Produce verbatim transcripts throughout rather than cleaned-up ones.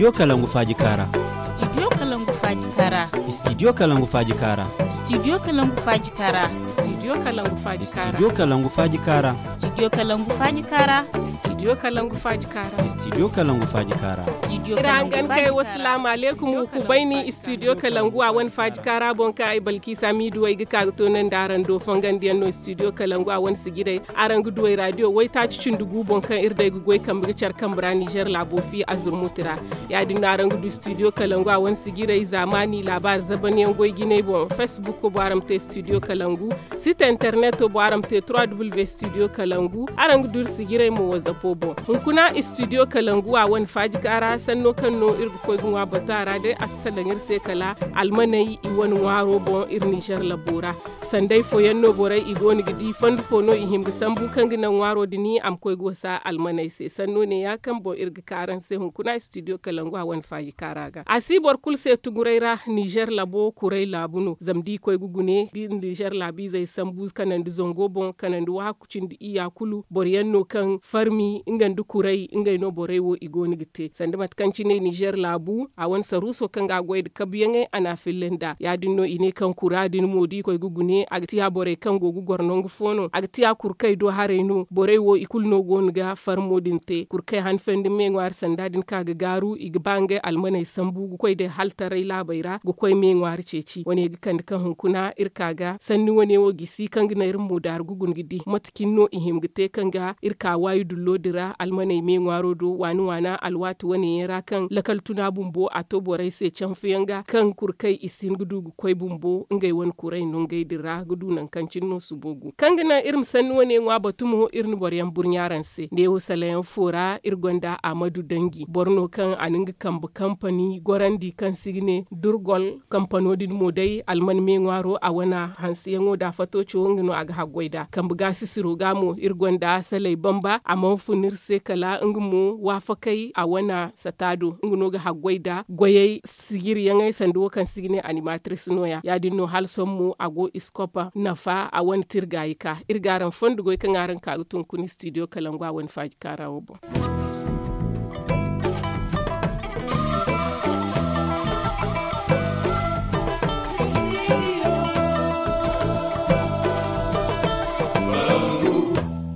Studio Kalangu Faaji Kaara. Studio Kalangu Faaji Kaara. Studio Kalangu Faaji Kaara. Studio Kalangu Faaji Kaara. Studio Kalangu Faaji Kaara. Studio Kalangu Faaji Kaara. Studio Kalangu Faaji Kaara. Studio Kalangu Faaji Kaara. Studio Kalangu Faaji Kaara. Studio Kalangu Faaji Kaara. Iri hangan kay, wasalaamu aleykum, ku bayni Studio Kalangu a wane Faaji Kaara boŋ, kaŋ ay Balkiisa Miidu way ga ka ga toonandi araŋ do. Fongandiyaŋ no Studio Kalangu a wane sijirey. Araŋ ga du ay raadiyo waytaaci cindi gu boŋ, kaŋ iri day ga goy kambe ga care kambe ra Nizer laabo fi a zurmuti ra. Ya-din no araŋ ga du Studio Kalangu a wane sijirey, zaamaani laabaari zabanyaŋ goy jinay boŋ. Facebook boŋ, araŋ ma te Studio Kalangu. Site internet boŋ, araŋ ma te trois w Studio Kalangu. Araŋ ga du iri sijirey mo WhatsApp boŋ. Hunkuna Studio Kalangu a wane Faaji Kaara sanno kaŋ no iri ga koy ga ŋwa batu a ra day, a si salaŋ iri se kala almaney i wane ŋwaaro boŋ iri Nizer labo ra. Sanday fooyaŋ no borey i go no ga di, fondo fo no i hima ga sambu kaŋ ga naŋ ŋwaaro din a ma koy ga wasa almaney se. Sanno ne-ya kaŋ boŋ iri ga ka araŋ se hunkuna Studio Kalangu a wane Faaji Kaara ga. A si boro kulu se tuguray ra, Nizer labo kuray laabu no. Zama da i koy ga gune, da iri Nizer laabiizey sambu kanandi zango boŋ, kanandi waaku cindi iyya kulu, boro yaŋ no kaŋ farmi nga nda kuray, ngey no borey wo i go no ga te. Sanda mate kaŋ cine Nizer laabu, a wane saruuso kaŋ ga a goy nda kabuyaŋey, a n'a filla nd'a. Ya-din no i ne kaŋ kura din mo da i koy ga gune, a ga tiya borey kaŋ go ga goro nangu fo no. A ga tiya kurkey do haray no. Borey wo i kulu no go no ga farmo din te. Kurkey hanfandi me ŋwaari sanda din kaŋ a ga gaaru, i ga ba ngey almaney sambu ga koy day haltaray laabey ra, ga koy me ŋwaari ceeci. Wane ga kande kaŋ hunkuna iri ka ga sanni wane wo gisi kaŋ ga naŋ iri mo daaru ga guna ga di mate cine no i hima ga te kaŋ ga iri ka waayi dullo din ra almaney me ŋwaaro do waani-waana alwaati wane yaŋ ra kaŋ lakal tuna bumbo a to borey se canfuyaŋ ga kaŋ kurkey i si hin ga du ga koy bumbo ngey wane kuray nongey din ra ga du nangu kaŋ cine no subo gu. Kaŋ ga naŋ iri ma sanni wane ŋwa batu mo iri na boro yaŋ burɲa araŋ se. Neewo salayaŋ fo ra iri gonda Amadu Danji, boro no kaŋ a na nga kambe kampani gorandi kaŋ se i ga ne Durgol. Kampano din mo day alman me ŋwaaro a wane hanseyaŋo da fatooco nga no a ga haggoy nd'a. Kambe gaasisiro ga mo iri gonda Saley Bamba, a mana fun iri se kala nga mo waafakey a wane sata do. Nga no ga haggoy nda goyey sijiriyaŋey sanda wo kaŋ se i ga ne animatrice nooya. Ya-din no hala sohõ mo a go Iskopa nafa a wane tirgaayi ka. Iri ga araŋ fondo goy kaŋ araŋ ka ga tun kuna studio Kalangu a wane faaji kaara wo boŋ.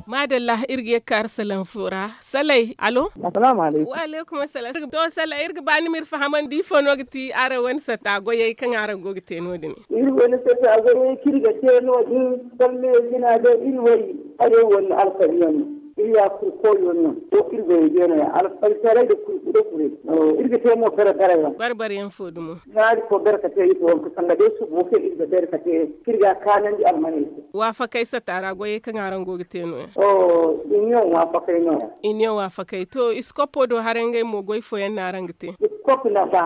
Maadalla, iri ga ye ga ka araŋ salaŋ fo ra. Saley, alo? Assalaamu alaykum. Wa alaykum assalam. To, Saley, iri ga ba ni ma iri fahamandi ifo no ga ti araŋ wane sata goyey kaŋ araŋ go ga te no- din? Iri wane sata goyey kaŋ iri ga te no- din, salle jina day iri way, hayo wane alfariyaŋ no. Iri ya kurkoyo no. To, iri goyey beene ya alfaritaray da kurku da kuray. Iri ga te mo bare-bare yaŋ. Bare-bare yaŋ fo dumo? Iri ga bare ka te ifo, sanda day subo kaŋ iri ga bare ka te, kaŋ iri ga a kaanandi almaney se. Waafakey sata ra goyey kaŋ araŋ go ga te no- ya? Iniyoŋ waafakey no- ya. Iniyoŋ waafakey. To, iskopo do haray ngey mo goy fooyaŋ no araŋ ga te? Iskop nafa.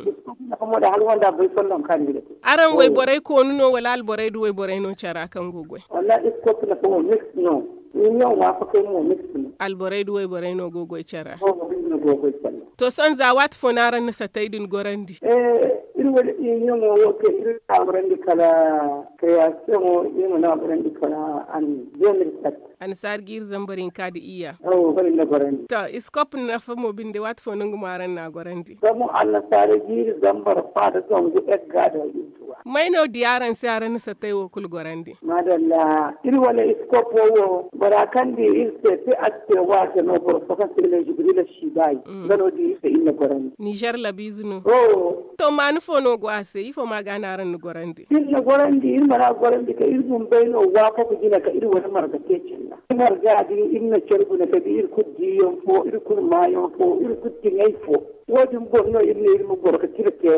Iskop nafa mo da hala wanda bay folloŋ kaŋ ni ga te. Araŋ wayborey koonu no wala alborey da wayborey no care ra kaŋ go goy? Wallaahi, iskop nafa mo miks no. Iniyoŋ waafakey mo miks no. Alborey da wayborey no go goy care ra. To, sohõ za waati fo no araŋ na satey din gorandi? Iri wane iniyoŋo wo kaŋ iri na a gorandi kala, kreyaasiyoŋo iri mana a gorandi kala an deux mille sept. Annasaara jiiri zambar hinka nda iyya. To, iskop nafa mo binde waati fo no nga mo araŋ na a gorandi? Zama annasaara jiiri zambar fa nda zangu egga da. May no di araŋ se araŋ na satey wo kulu gorandi? Maadalla, iri wane iskopo wo, bora kaŋ di iri se te a si te waate no, boro fo kaŋ se i ga ne Jibrila Sibayi. Nga no di iri se iri na gorandi. Nizer labiize no? To, maani fo no go a se? Ifo ma ga no araŋ na gorandi? Iri na gorandi, iri mana gorandi ka iri bumbey no waafaku jina ka iri wane marga te calla. Marga din iri na care guna ka di iri kulu diyaŋ fo, iri kulu maayaŋ fo, iri kulu tiŋay fo. Wo-din boŋ no iri ne iri ma goro ka tira te.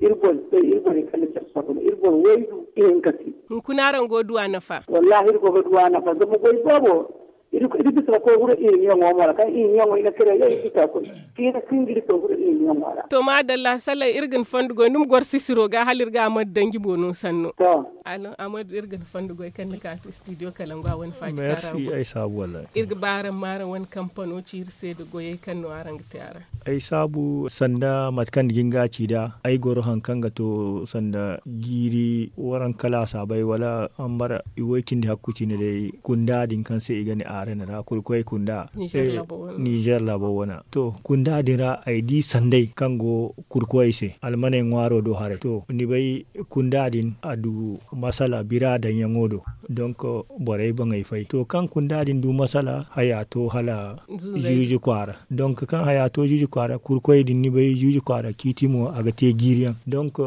Iri boŋ se, iri borey kaŋ na care soola, iri boro waydu ihinka se. Hunkuna araŋ go ga du a nafa? Wallaahi, iri go ga du a nafa, zama goy boobo, iri, iri bisa ga koy huru iniyoŋo mo ra, kaŋ iniyoŋo i na kare yaŋ iri bisa ga koy. Fiina sinda iri koy huru iniyoŋo ra. To, maadalla, Saley, iri ga ni fondo goy, ni ma goro sisiro ga, hala iri ga Amadu Danji boŋ no sanno. To. Alo, Amadu, iri ga ni fondo goy kaŋ ni ka to studio Kalangu a wane faaji kaara. Merci, ay saabu, wallaahi. Iri ga ba araŋ ma araŋ wane kampano ci iri se nda goyey kaŋ no araŋ ga te a ra. Ay saabu sanda mate kaŋ ni ga hin ga a ci nd'a, ay goro haŋ kaŋ ga to sanda jiiri waranka laasabey wala hambara iway cindi hakku cine day kunda din kaŋ se i ga ne a. Arena ra kurkoy kunda. Nizer labo wana to kunda din ra ay di sanday kaŋ go kurkoy se almaney ŋwaaro do haray to ni bay kunda din a du masala bira daŋ yaŋo do. Donk borey boŋey fay to kaŋ kunda din du masala haya to hala zuzu kwaara. Donk kaŋ haya to zuzu kwaara kurkoy din ni bay zuzu kwaara ciiti mo a ga te jiiri yaŋ. Donk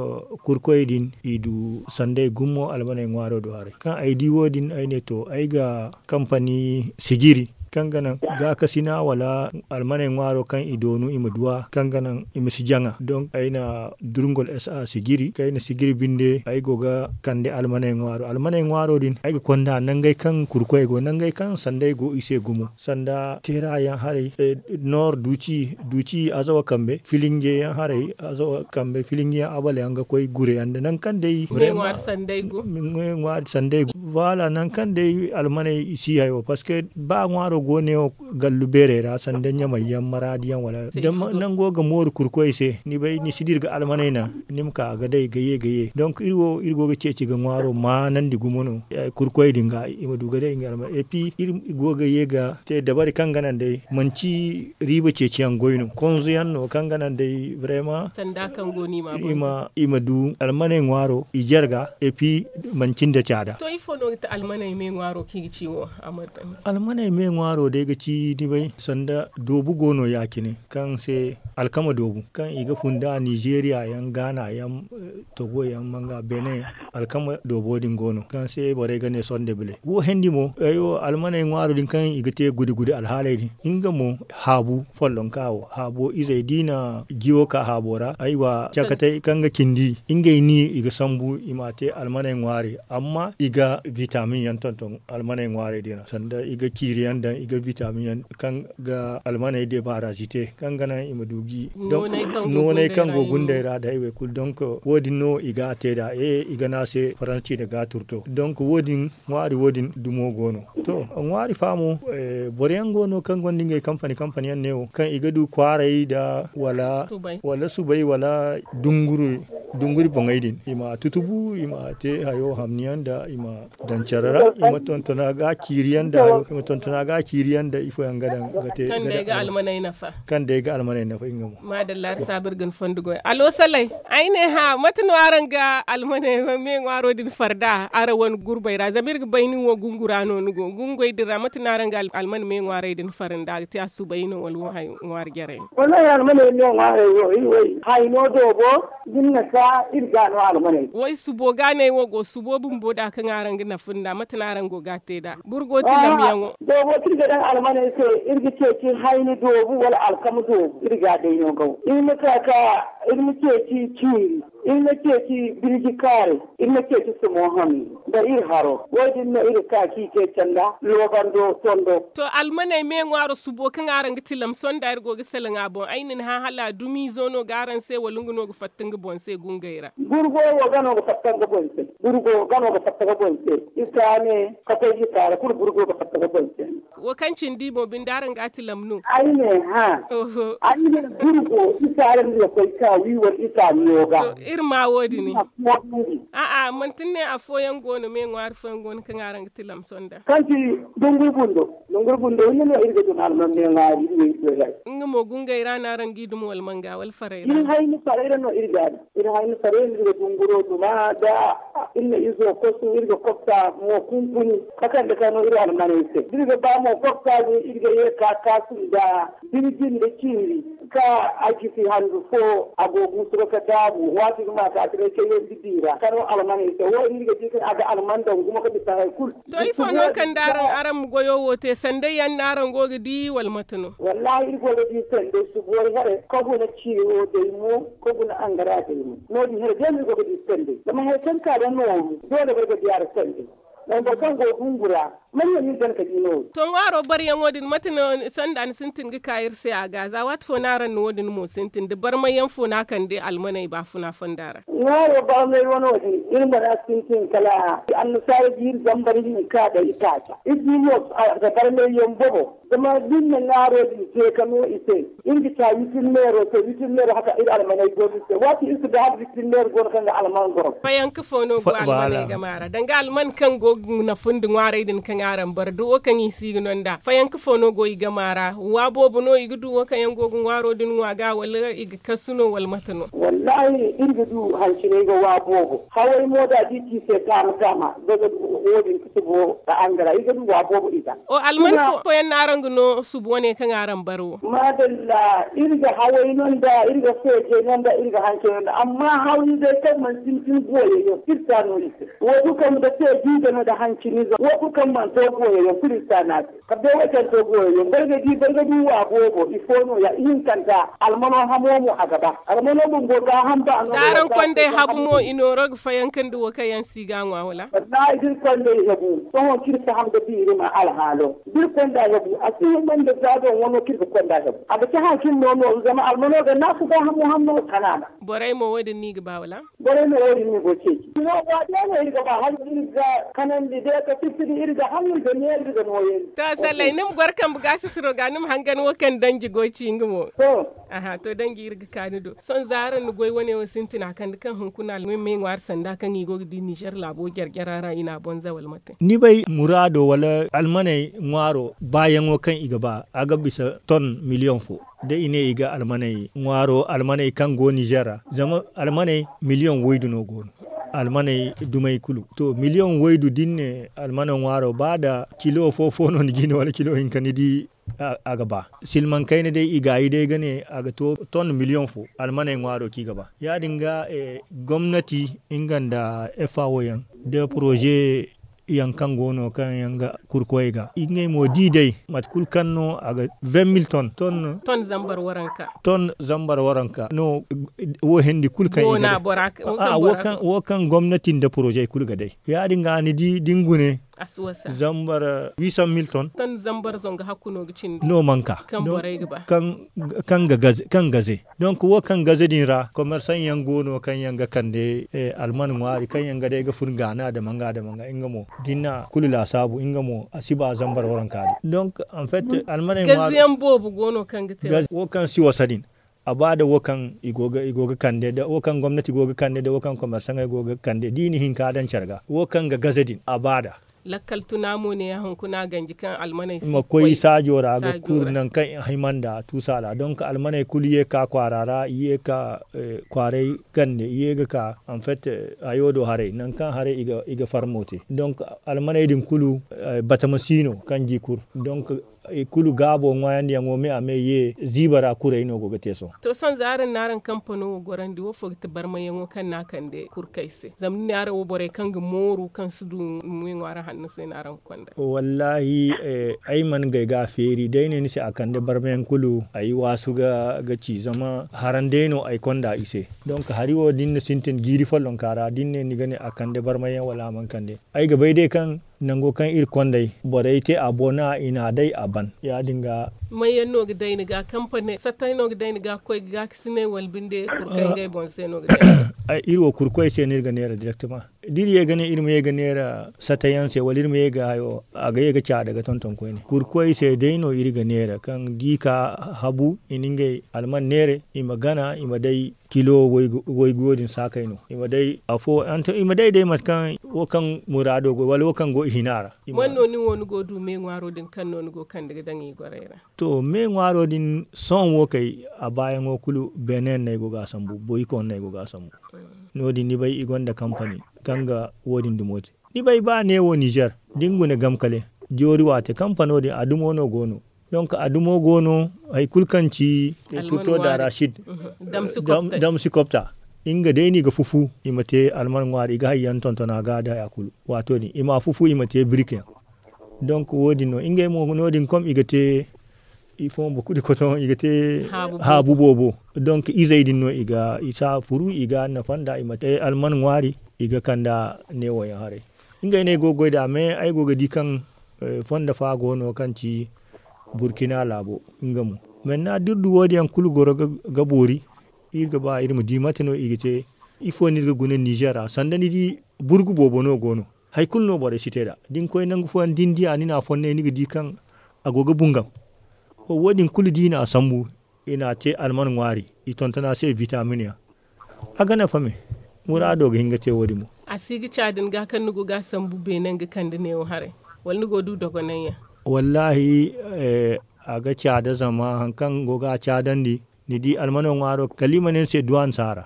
kurkoy din i du sanday gumo almaney ŋwaaro do haray kaŋ ay di wo- din ay ne to ay ga kampani sijiri kaŋ ga naŋ gaakasina wala almaney ŋwaaro kaŋ i doonu i ma duw'a kaŋ ga naŋ i ma si jaŋa donk ay na durŋol s a sijiri kaŋ ay na sijiri binde ay go ga kande almaney ŋwaaro almaney ŋwaaro din ay ga konda nangey kaŋ kurkoy go nangey kaŋ sanday go i se gumo sanda teera yaŋ haray noor duuci azawa kambe filinje yaŋ haray azawa kambe filinje yaŋ abal yaŋ ga koy gure yaŋ da nangu kaŋ day ŋwaari sanday go. Voilà nangu kaŋ day almaney i si hayo parceque ba ŋwaaro go ne wo gallu beerey ra sanda ɲamay yaŋ maraadi yaŋ wala nango ga mooru kurkoy se ni bay ni si dira ga almaney na ni ma ka ga day ga ye ga ye donk iri wo iri go ga ceeci ga ŋwaaro maanandi gumo no. Kurkoy din ga i ma du ga day nga almaney et puis iri go ga ye ga te dabari kaŋ ga naŋ day manci riiba ceeciyaŋ goy no konzo yaŋ no kaŋ ga naŋ day vraiment i ma du almaney ŋwaaro i jarga et puis manci nda caada. To ifo no ga ti almaney me ŋwaaro kaŋ i ga ci wo? Almaney me ŋwaaro day ga ci ni bay sanda doobu go no ya- cine kaŋ se alkama doobu kaŋ i ga funda nizeeriya yaŋ gaana yaŋ togo yaŋ manga beene alkama doobo din go no kaŋ se borey ga ne sonde bile wo hendi mo. Almaney ŋwaaro din kaŋ i ga te gude gude alhaaley din nga mo haabu follonka wo haabo izey da i na jiwo ka haabo ra aywa cakatey kaŋ ga cindi ngey ni i ga sambu i ma a te almaney ŋwaari amma i ga vitamin yaŋ tonton almaney ŋwaarey din ra sanda i ga ciiri yaŋ daŋ i ga vitamin yaŋ kaŋ ga almaney debaarazi te kaŋ ga naŋ i ma du gi nooney kaŋ go gundey ra da haywey kulu donk wo- din no i ga a te nd'a i ga ne a se faransi nda gaaturto donk wo- din ŋwaari wo- din dumo go no. To ŋwaari fa mo boro yaŋ go no kaŋ gonda ngey kampani kampani yaŋ neewo kaŋ i ga du kwaaray nda wala subay wala dunguri boŋey din i ma a tutubu i ma a te hayo hamni yaŋ nda i ma daŋ care ra i ma tontona ga ciiri yaŋ nda hayo i ma tontona ga ciiri yaŋ nda ifo yaŋ ga daŋ ga te kaŋ day ga almaney nafa nga mo. Maadalla iri saabu iri ga ni fondo goy alo salay ay ne hã mate no araŋ ga almaney me ŋwaaro din far nd'a araŋ wane gurbey ra zama iri ga bay nin wo gungura no ni go gungey din ra mate no araŋ ga almaney me ŋwaarey din far nd'a ga te a subay no wala wo hayo ŋwaari jarey no? Wallahi almaney me ŋwaarey wo iri way hayno doobo din na ka iri ga no almaney. Way subo ga no ay wo go subo bumbo nd'a kaŋ araŋ ga nafa nd'a mate no araŋ go ga a te nd'a boro go tilamyaŋo? Doobo kaŋ iri ga daŋ almaney se iri ga ceeci hayni doobu wala alkama doobu iri ga a day no gaw iri ma ka ka iri ma ceeci ciiri iri ma ceeci birji kaaray iri ma ceeci sumo hami nda iri haro wo- din no iri ga ka ka i te canda loobando tondo. To almaney me ŋwaaro subo kaŋ araŋ ga tilam sonda iri go ga salaŋ a boŋ ay na ni hã hala a dumiizo no ga araŋ se wala nga no ga fatta nga boŋ se gungey ra? Burgo wo ga no ga fatta nga boŋ se burgo ga no ga fatta nga boŋ se isa ne ka koy isa ra kulu burgo ga fatta nga boŋ se. Wo kaŋ cindi mo binde araŋ ga a tilam no? Ay ne hã. Ay ne burgo isa ra ni ga koy ka wi wala isa miyo ga. Iri ma wo- din a'a manti ni ne afooyaŋ go no me ŋwaari fooyaŋ go no kaŋ araŋ ga tilam sonda? Kaŋ ti dunguri bundo dunguri bundo hinne no iri ga dun alman me ŋwaari iri wo iri koy ga. Nga mo gungey ra no araŋ g'i dum wala manga wala farey ra? Iri hayni farey ra no iri ga a dum iri hayni farey no iri ga dunguro duma da iri na izo kosu iri ga kopta mo kunkuni ka kande ka no iri almaney se da iri ga ba mo kopta din iri ga ye ka kaasu nda birji nda ciiri ka a gisi handu fo a go guusu ga ka daabu waati ga ma ka a tiray kayandi di ra ka no almaney se wo iri ga di kaŋ a ga alman daŋ gumo ka bisa hari kulu. To ifo no kaŋ da araŋ araŋ ma goyo wo te sanday yaŋ no araŋ go ga di wala mate no? Wallahi iri go ga di sanday subuwar here ka guna ciiro day mo ka guna angara day mo no- din here day no iri go ga di sanday zama hari kaŋ ka da nooru doole boro ga di a ra sanday. Zama boro kaŋ go ga hungu ra manya no iri gana ka di nooru. To ŋwaaro baryaŋo din mate no sanda ni sintin ga ka iri se a ga za waati fo no araŋ na wo- din mo sintin da barmayyaŋ fo no a kande almaney baafuna fonda ra? Ŋwaaro barmay wano din iri mana sintin kala annasaara jiiri zambar hinka da itaaca iri di mo a ga barmay yaŋ bobo zama da iri na ŋwaaro din te ka no i se iri ga ca witin meero se witin meero haka iri almaney go no iri se waati iri si bay hala witin meero go no kaŋ ga alman goro. Fayanka fo no go almaney game ra danga alman kaŋ go ga nafa nda ŋwaarey din kaŋ Araŋ bar da wo kaŋ i si ga no nd'a fayanka fo no go i gama ra wa boobo no i ga du wo kaŋ yaŋ go ga ŋwaaro din ŋwa ga wala i ga kasu no wala mate no? Wallaahi iri ga du hancinay ga wa boobo haway mo da da i ci i se taama taama. Daga wo- din ga subo ga angara i ga du wa boobo i ga. Alman fo fooyaŋ no araŋ ga no subo wane kaŋ araŋ bar wo? Maadalla, iri ga haway no nd'a iri ga feejay no nd'a iri ga hancinay no nd'a amma haway day kaŋ mana sintin booyay yaŋ iri si a no iri se. Wo- kulu kaŋ mana sintin booyay yaŋ iri si a no iri se. Wo- kulu kaŋ mana sintin booyay yaŋ kulu iri si a no a se. Kala day wo kaŋ to goyo yaŋ boro ga di boro ga du wa boobo ifo no- ya ihinkanta. Almano hamo mo a ga ba almano bumbo ga hamba no da araŋ konday habu mo i nooro ga fayanka nda wo kaŋ yaŋ si ga ŋwa wala? Wallahi da iri konday habu sohõ kaŋ iri faham ga biiri ma alhaalo da iri konda habu a si hima nda za doŋ wano kaŋ iri ga konda habu a ga ci haŋ kaŋ iri no nooru zama almano ga naasu ga hamo hamo kanaana. Borey mo wo- din no i ga ba wala? Borey no wo- din no i go ceeci. Iri ga ba hala iri ga kanandi day ka fitti da iri ga haŋ iri ga neera iri ga nooyandi. To sallay ni ma goro kambe ga sisiro ga ni ma hangan wo kaŋ danji go ci nga mo. Aha to danji iri ga ka ni do sohõ za araŋ na goy wane wo sintina kande kaŋ hunkuna almay me ŋwaari sanda kaŋ i go ga di nizer laabo jare jare ra i na a boŋ za wala mate? Ni bay muraado wala almaney ŋwaaro baayaŋo kaŋ i ga ba a ga bisa ton miliyoŋ fo. Da i ne i ga almaney ŋwaaro almaney kaŋ go nizer ra zama almaney miliyoŋ waydu no go no. Almaney dumey kulu to miliyoŋ waydu da ni ne almane ŋwaaro ba nda kilo fo fo no ni ga i ne wala kilo hinka ni di a ga ba. Silmaŋ kayna day i gaayi day ga ne a ga to ton miliyoŋ fo almaney ŋwaaro kaŋ i ga ba ya- din ga gomnati nga nda efa wo yaŋ da poroze yaŋ kaŋ go no kaŋ yaŋ ga kurkoyey ga ngey mo da i day mate kulu kaŋ no a ga vin mil ton ton ton zambar waranka no. Wo hindi kulu kaŋ i ga day wo kaŋ gomnati nda poroze kulu ga day ya- din ga ni di da ni gune zambar wiisan mil ton ton zambar zangu hakku no ga cindi no manka kaŋ gaze donk wo kaŋ gaze din ra komersaŋ yaŋ go no kaŋ yaŋ ga kande alman ŋwaari kaŋ yaŋ ga day ga fun gaana dama nga dama nga nga mo da ni na kulu laasaabu nga mo a si ba zambar waranka din donk en fait almaney ŋwaari gaze yaŋ boobo go no kaŋ ga te wo kaŋ si wasa din a ba da wo kaŋ i go ga kande da wo kaŋ gomnati go ga kande da wo kaŋ komersaŋey go ga kande da i na hinka daŋ care ga wo kaŋ ga gaze din a ba da lakkal tuna mo ne ya hunkuna ganji kaŋ almaney si ma koy saajo ra ga kuru nangu kaŋ i hima nda tuusa ra donk almaney kulu ye ga ka kwaara ra i ye ga ka kwaaray kande i ye ga ka en fait hayo do haray nangu kaŋ haray i ga farmo te donk almaney din kulu batama si no kaŋ ga i kuru donk i kulu gaabo ŋwaayandiyaŋo me a me ye ziiba ra kuray no go ga te sohõ. To sohõ za araŋ na araŋ kampano wo gorandi wo fo ga ti barmayaŋo kaŋ no a kande kurkey se zama ni ne araŋ wo borey kaŋ ga mooru kaŋ si du meeŋwaari hanno se no araŋ ga konda? Wallaahi ay mana gay ga a feeri day ne ni se a kande barmayaŋ kulu ay waasu ga ci zama haran day no ay konda i se. Donk hari wo da ni na sintin jiiri follonka ra da ni ne ni ga ne a kande barmayaŋ wala a mana kande ay ga bay day kaŋ nango kaŋ iri konday borey te a boŋ no i na a day a ban ya- din ga. Manyaŋ no ga day ni ga kampane satay no ga day ni ga koy ga ga ka si ne wala binde kurkoy ngey boŋ se no ga day ni ga. Iri wo kurkoy se no iri ga neera direktama da iri ye ga ne iri ma ye ga neera satay yaŋ se wala iri ma ye ga hayo a ga ye ga caada ga tonton koyne kurkoy se day no iri ga neera kaŋ da i ka habu i na ngey alman neera i ma gana i ma day kilo waygu wo- din saakay no i ma day afo i ma day day mate kaŋ wo kaŋ muraado go wala wo kaŋ go i hina ra. Man no nin wo ni go du me ŋwaaro din kaŋ no ni go kande ga daŋ i gorey ra? To me ŋwaaro din sohõ wo kay a baayaŋo kulu benin no ay go ga a sambu boyko no ay go ga a sambu. No- din ni bay i gonda kampani kaŋ ga wo- din dumo te ni bay ba neewo nizer da ni guna gam kale joori waate kampano din a dumo no go no donk a dumo go no hari kulu kaŋ ci tuto da racid damsi kopta nga day no i ga fufu i ma te alman ŋwaari i ga hari yaŋ tontona ga da ya kulu waato din i ma a fufu i ma te birik yaŋ donk wo- din no ngey mo no- din kom i ga te i fo boro kulu kotoŋ i ga te haabu boobo donk izey din no i ga i si a furu i ga a nafa nd'a i ma te alman ŋwaari i ga kand'a neewo yaŋ haray. Ngey no ay go ga goy nd'a mais ay go ga di kaŋ fondo fa go no kaŋ ci burkina laabo nga mo. Maintenant da iri du wo- din yaŋ kulu goro ga boori iri ga ba iri ma di mate no i ga te ifo no iri ga guna nizer ra sanda ni di burgu boobo no go no hari kulu no borey si te nd'a da ni koy nangu fooyaŋ da ni di a ni na a fonnay ni ga di kaŋ a go ga bungam. Wo- din kulu da i na a sambu i na a te alman ŋwaari i tonton a se vitamin yaŋ a ga nafa me. Muraado ga hin ga te wo- din mo. A si ga ca din ga kaŋ ni go ga a sambu beene nga kande neewo haray. Wala ni go du dogonanyaŋ? Wallahi, a ga caada zama hari kaŋ go ga a caadandi, ni di almano ŋwaaro kala i ma ne ni se duw'a ni si a ra.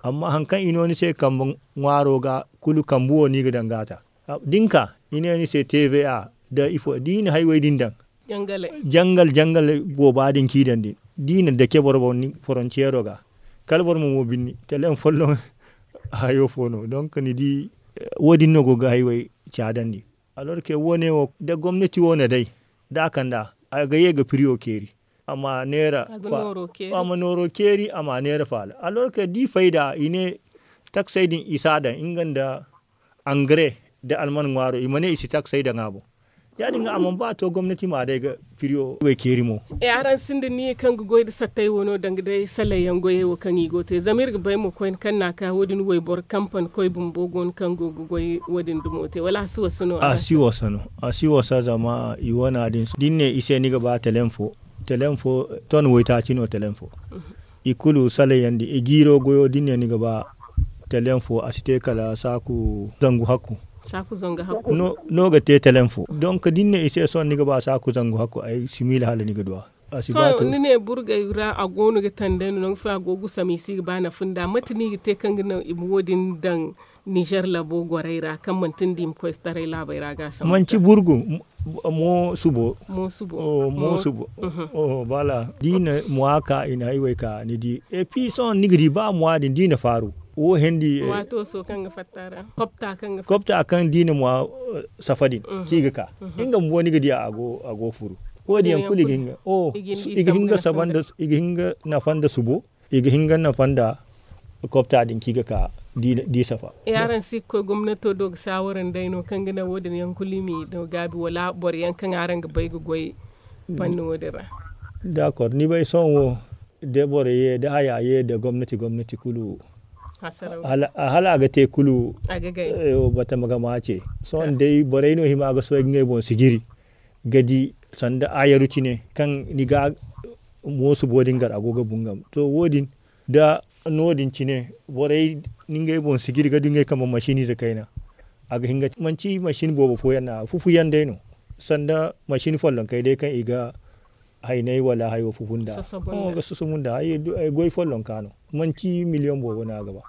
Amma hari kaŋ i no ni se kambe ŋwaaro ga kulu kambe wo no i ga daŋ ga a ta. Da ni ka i ne ni se tva da ifo da i na haywey din daŋ, jangal jangal booba din kaŋ i daŋ din da i na dake boro boŋ ni forontiyeero ga, kala boro ma mo binni tele ni folloŋ. Hayo fo no donk ni di, wo- din no go ga haywey caadandi. Alorke wo- ne wo da gomnati wo na day da a kand'a, a ga ye ga piriyo keeri. A ma neera a ma nooro keeri a ma neera faala. Alorke da i fayda i ne taksey din i si a daŋ nga nda angare, da alman ŋwaaro i ma ne i si taksey daŋ a boŋ. Ya- din ga a mana ba to gomnati ma a day ga piriyo way keeri mo. E araŋ sinda ni kaŋ ga goy nda sattey wo no danga day sallayyaŋ goyey wo kaŋ i go te zama iri ga bay mo koyne kaŋ na a ka wo- din wayboro kampan koy bumbo go no kaŋ go ga goy wo- din dumo te wala a si wasa no? A si wasa no. A si wasa zama i wana din da ni ne i se ni ga ba telen fo, telen fo ton waytaaci no telen fo. I kulu salayyandi i jiiro goyo da ni ne ni ga ba telen fo a si te kala saaku zangu hakku. No ga te telen fo donk da ni ne i se sohõ ni ga ba saaku zangu hakku ay si miila hala ni ga duw'a. A si ba to. Ni ne burgey ra a go no ga tandey no nangu fo a go ga gusam i si ga ba nafa nda mate no i ga te kaŋ ga naŋ i ma wo- din daŋ? Nizer labo gorey ra kaŋ manti nda i ma koy taray laabey ra ga a sambu manti burgu. Mo subo. Mo subo. Bala da i na mwa ka i na haywey ka ni di epi sohõ ni ga di ba mwa din da i na faaru. Wo hendi. Kopta kaŋ da i na mwa safa din kaŋ i ga ka nga bumbo ni ga di a go furu. Wo- din yaŋ kulu i ga hinga saba nda i ga hinga nafa nda subo. I ga hinga nafa nda kopta din kaŋ i ga ka da i safa. Yaaraŋ si ga koy gomnato do ga saawara nd'ey no kaŋ ga naŋ wo- din yaŋ kulu i m'i no gaabi wala boro yaŋ kaŋ araŋ ga bay ga goy. Panni wo- din ra. Dakor ni bay sohõ wo da boro ye da haya ye da gomnati gomnati kulu. Hala a ga te kulu. Batama ga ma ce sohõ day borey no hima ga sohõ ga ngey boŋ sijiri ga di sanda ayaru cine kaŋ ni ga moosu boodin gar a go ga bungam to wo- din da no- din cine borey ni ngey boŋ sijiri ga du ngey kambe masiniize kayna. A ga hin ga manci masin boobo fooyaŋ no a fufuyaŋ day no sanda masin follonkey day kaŋ i ga haynay wala hayo fufu nda ga sosobu nda goy follonka no. Manci miliyoŋ boobo no a ga ba.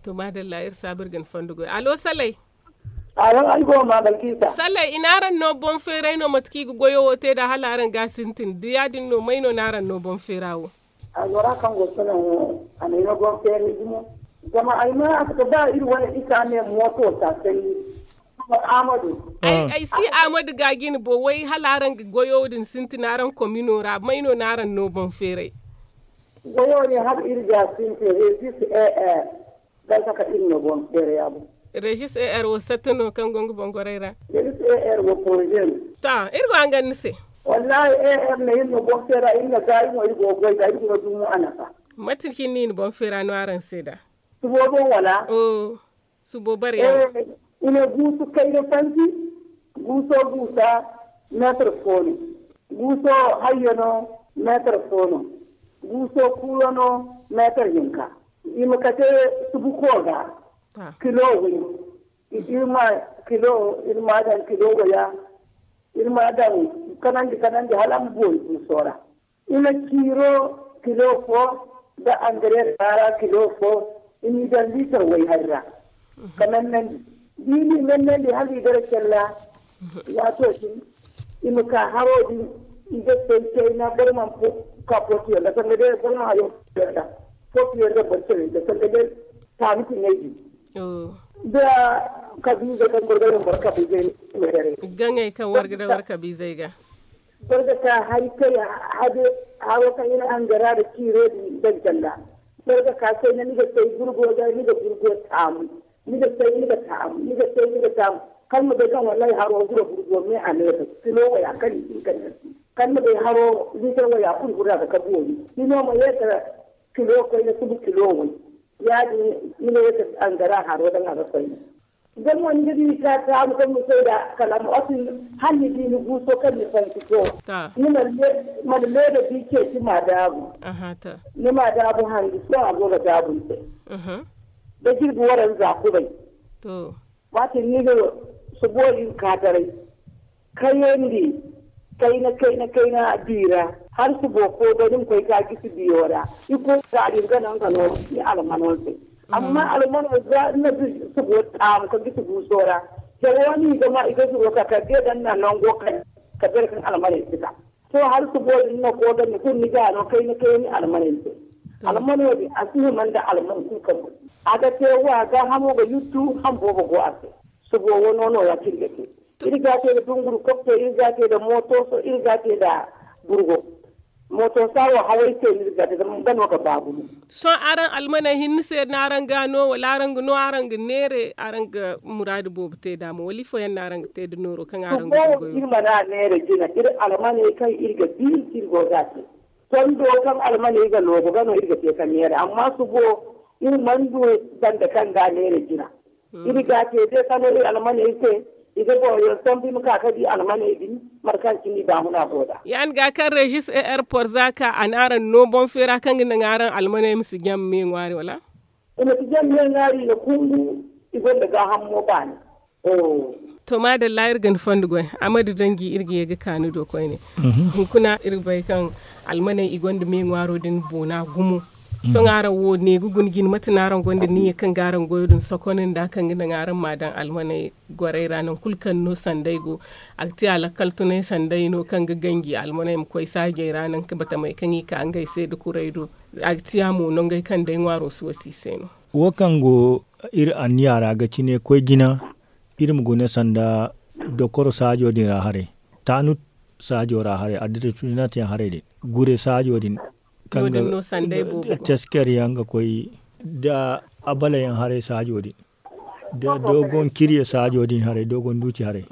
To maadalla iri saabu iri ga ni fondo goy alo salay. Salay i na araŋ no boŋ feeray no mate kaŋ i ga goyo wo te nd'a hala araŋ ga a sintin da ya- din no may no na araŋ no boŋ feera wo? Albora kaŋ go sonaŋ wo a na ay no boŋ feeray gumo. Zama ay ma a si ga ba iri wane isa ne mooto taasay. Amadu. Ay si amadu ga jine bo way hala araŋ ga goyo din sintin araŋ komino ra may no na araŋ no boŋ feeray? Goyo din hala iri ga a sintin resis er. Barka ka iri no boŋ beera ya boŋ. Regis er wo satta no kaŋ go nga boŋ goray ra. Regis er wo poroze no. To iri go hangan ni se. Wallahi er na iri no boŋ beera iri na gaayi mo iri go goy ga iri go dumo a nafa. Mate cine no i na boŋ feera no araŋ se da? Subo boŋ wala? Subo bare yaŋ. I ne guusu kayna fanti. Guuso guusa meetar fo no. Guuso hayyo no meetar fo no. Guuso kuuyo no meetar hinka. I ma kate subuko ga kilo way. Iri ma kilo iri ma daŋ kilo waya. Iri ma daŋ kanandi kanandi hala a ma boori guuso ra. I na ciiro kilo fo nda angareer kaara kilo fo. I n'i daŋ liitar way hari ra. Ka mennandi da i n'i mennandi hala i gara calla. Waato din i ma ka haro din. I ga say kayna boro mana ka pootiyaŋ ga sanga day boro mana hayo pootiyaŋ ga boro care ga sanga day. Taami tiŋay din da kabiizey kaŋ boro ga daŋ boro kabiizey. Gaŋey kaŋ war ga daŋ war kabiizey ga. Boro ga ka hari kay hade haro kaŋ i na angara nda ciiro din daŋ canda. Boro ga ka kayna ni ga say burgo ga ni ga burgo taamu. Ni ga say ni ga taamu ni ga say ni ga taamu. Kala ma bay kaŋ wallahi haro guro burgo me a neefa kilo waya kaŋ i hin ka neefa. Kala ma bay haro liitar waya kulu gurra ga ka boori ni no ma ye ka kilo koyne subu kilo way. Ya- din ni ma ye ka angara haro daŋ a ga koyne. Zama ni ga di ka taamu kaŋ ni koy nd'a kala ma otin hala ni di ni guuso kaŋ ni fansi to. Ni mana leeda bi ceeci ma daabu. Ni ma daabu handu sohõ a go ga daabu ni se. Da jirbi waranza kubay. Waati ni ga subo din ka taray. Kayandi kayna kayna kayna di ra, hala subo fo da ni ma koy ka gisi biyo ra. I koy ka din ga naŋ ga no ni almano se. Amma almano za na subo taamu ka gisi guuso ra. Jawo ni ga ma i ga zuro ka ka de dan na nango kay ka bere kan almaney si ka. To, hala subo din na ko ga ni kun ni ga no kayna kayna ni almaney se. Almano din a si hima nda alman kulu ka bu. A ga te wa ga hamo ga yuttu han boobo go a se. Subo wano no ya kirga te. Iri ga te da dunguru kopte, iri ga te da moto so, iri ga te da burgo. Moto sawo hawai se iri ga te da gano ga babu. Sohõ araŋ almaney hinne se no araŋ ga no wala araŋ ga no araŋ ga neere araŋ ga muraadu boobo te da mo wala ifo yaŋ no araŋ ga te da nooro kaŋ araŋ ga goyo? Iri mana neere jina iri almaney kaŋ iri ga di iri go ga te. Tondo kaŋ almaney ga loobo ga no iri ga te ka neere amma subo iri mana du banda kaŋ ga neere jina. Iri ga te de kano iri almaney se i ga boro yaŋ sambu i ma ka ka di almaney din. Mate kaŋ cine i baahuna go da. Ya ni ga kaŋ rejis e airport za ka a na araŋ no boŋ feera kaŋ ga naŋ araŋ almaney ma si jam me ŋwaari wala? I ma si jam me ŋwaari i na kungu. I gonda gaaham mo baani. To maadalla iri ga ni fondo goy. Amadu danji iri ga ye ga ka ni do koyne. Hunkuna iri ga bay kaŋ almaney i gonda me ŋwaaro din boona gumo. Sohõ araŋ wo ne ga guna jine mate no araŋ gonda niyya kaŋ ga araŋ goyo din sokon nda kaŋ ga naŋ araŋ ma daŋ almaney goray ra nangu kulu kaŋ no sanday go. A ga ti a lakkal tunay sanday no kaŋ ga ganji almaney ma koy saajey ra nangu batamey kaŋ i ka ngey se da kuray do. A ga ti a mo nongey kaŋ day ŋwaaro si wasi i se no. Wo kaŋ go iri anniya ra ga cine koy jina. Iri ma guna sanda dokoro saajo din ra haray, taanut saajo ra haray, addirinat yaŋ haray din, gure saajo din kaŋ ga tesker yaŋ ga koy, da abala yaŋ haray saajo din, da dogon kirye saajo din haray, dogon duuci haray,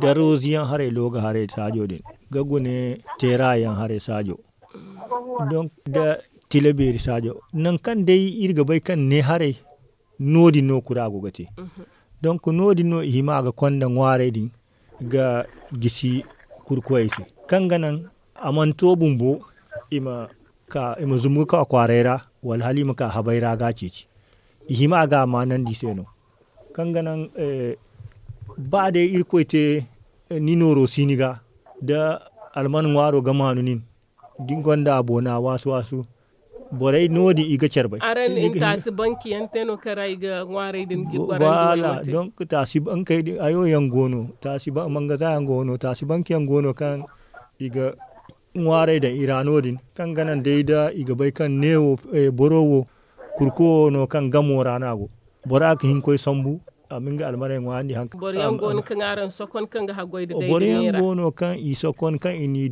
da rozi yaŋ haray looga haray saajo din, ga gune teera yaŋ haray saajo, donk da tila beeri saajo nangu kaŋ day iri ga bay kaŋ ne haray. No- din no kura go ga te. Donk no- din no i hima ga konda ŋwaaray din ga gisi kurkoyey se, kaŋ ga naŋ a mana to bumbo i ma zumbu ga ka kwaaray ra, wala hala i ma ka habay ra ga a ceeci. I hima ga a maanandi i se no, kaŋ ga naŋ ba day irkoy te ni nooro si ni ga, da alman ŋwaaro ga maanu nin, da ni gonda a boona waasu waasu. Borey no- din i ga care bay. Araŋ na taasi banki yaŋ te no kaŋ ra i ga ŋwaaray din ga i gwarandi wala manti? Donk taasi bankey din hayo yaŋ go no, taasi mangaza yaŋ go no, taasi banki yaŋ go no kaŋ i ga ŋwaaray daŋ i ra no- din, kaŋ ga naŋ day da i ga bay kaŋ neewo boro wo kurko wo no kaŋ gamo ra no a go. Bora ga hin koy sambu a ma nga almaney ŋwaayandi hanka. Boro yaŋ go no kaŋ araŋ sokon kaŋ ga haggoy da day boro yaŋ go no kaŋ i sokon kaŋ i n'i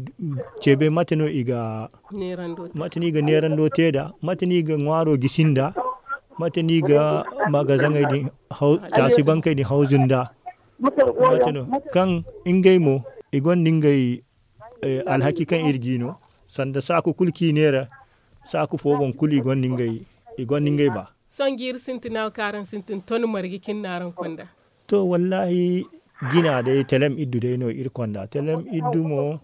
cebe mate no i ga neerando te da, mate no i ga ŋwaaro gisi nda, mate no i ga magazaŋey din, taasi bankey din hawzu nda. Mate no kaŋ ngey mo i gonda ngey alhaki kaŋ iri g'i no, sanda saaku kulu kaŋ i neera, saaku fo boŋ kulu i gonda ngey ba. Sohõ jiiri sintina wo kaŋ araŋ sintin ton marje cine no araŋ konda? To wallaahi, jina day telem iddu day no iri konda. Telem iddu mo,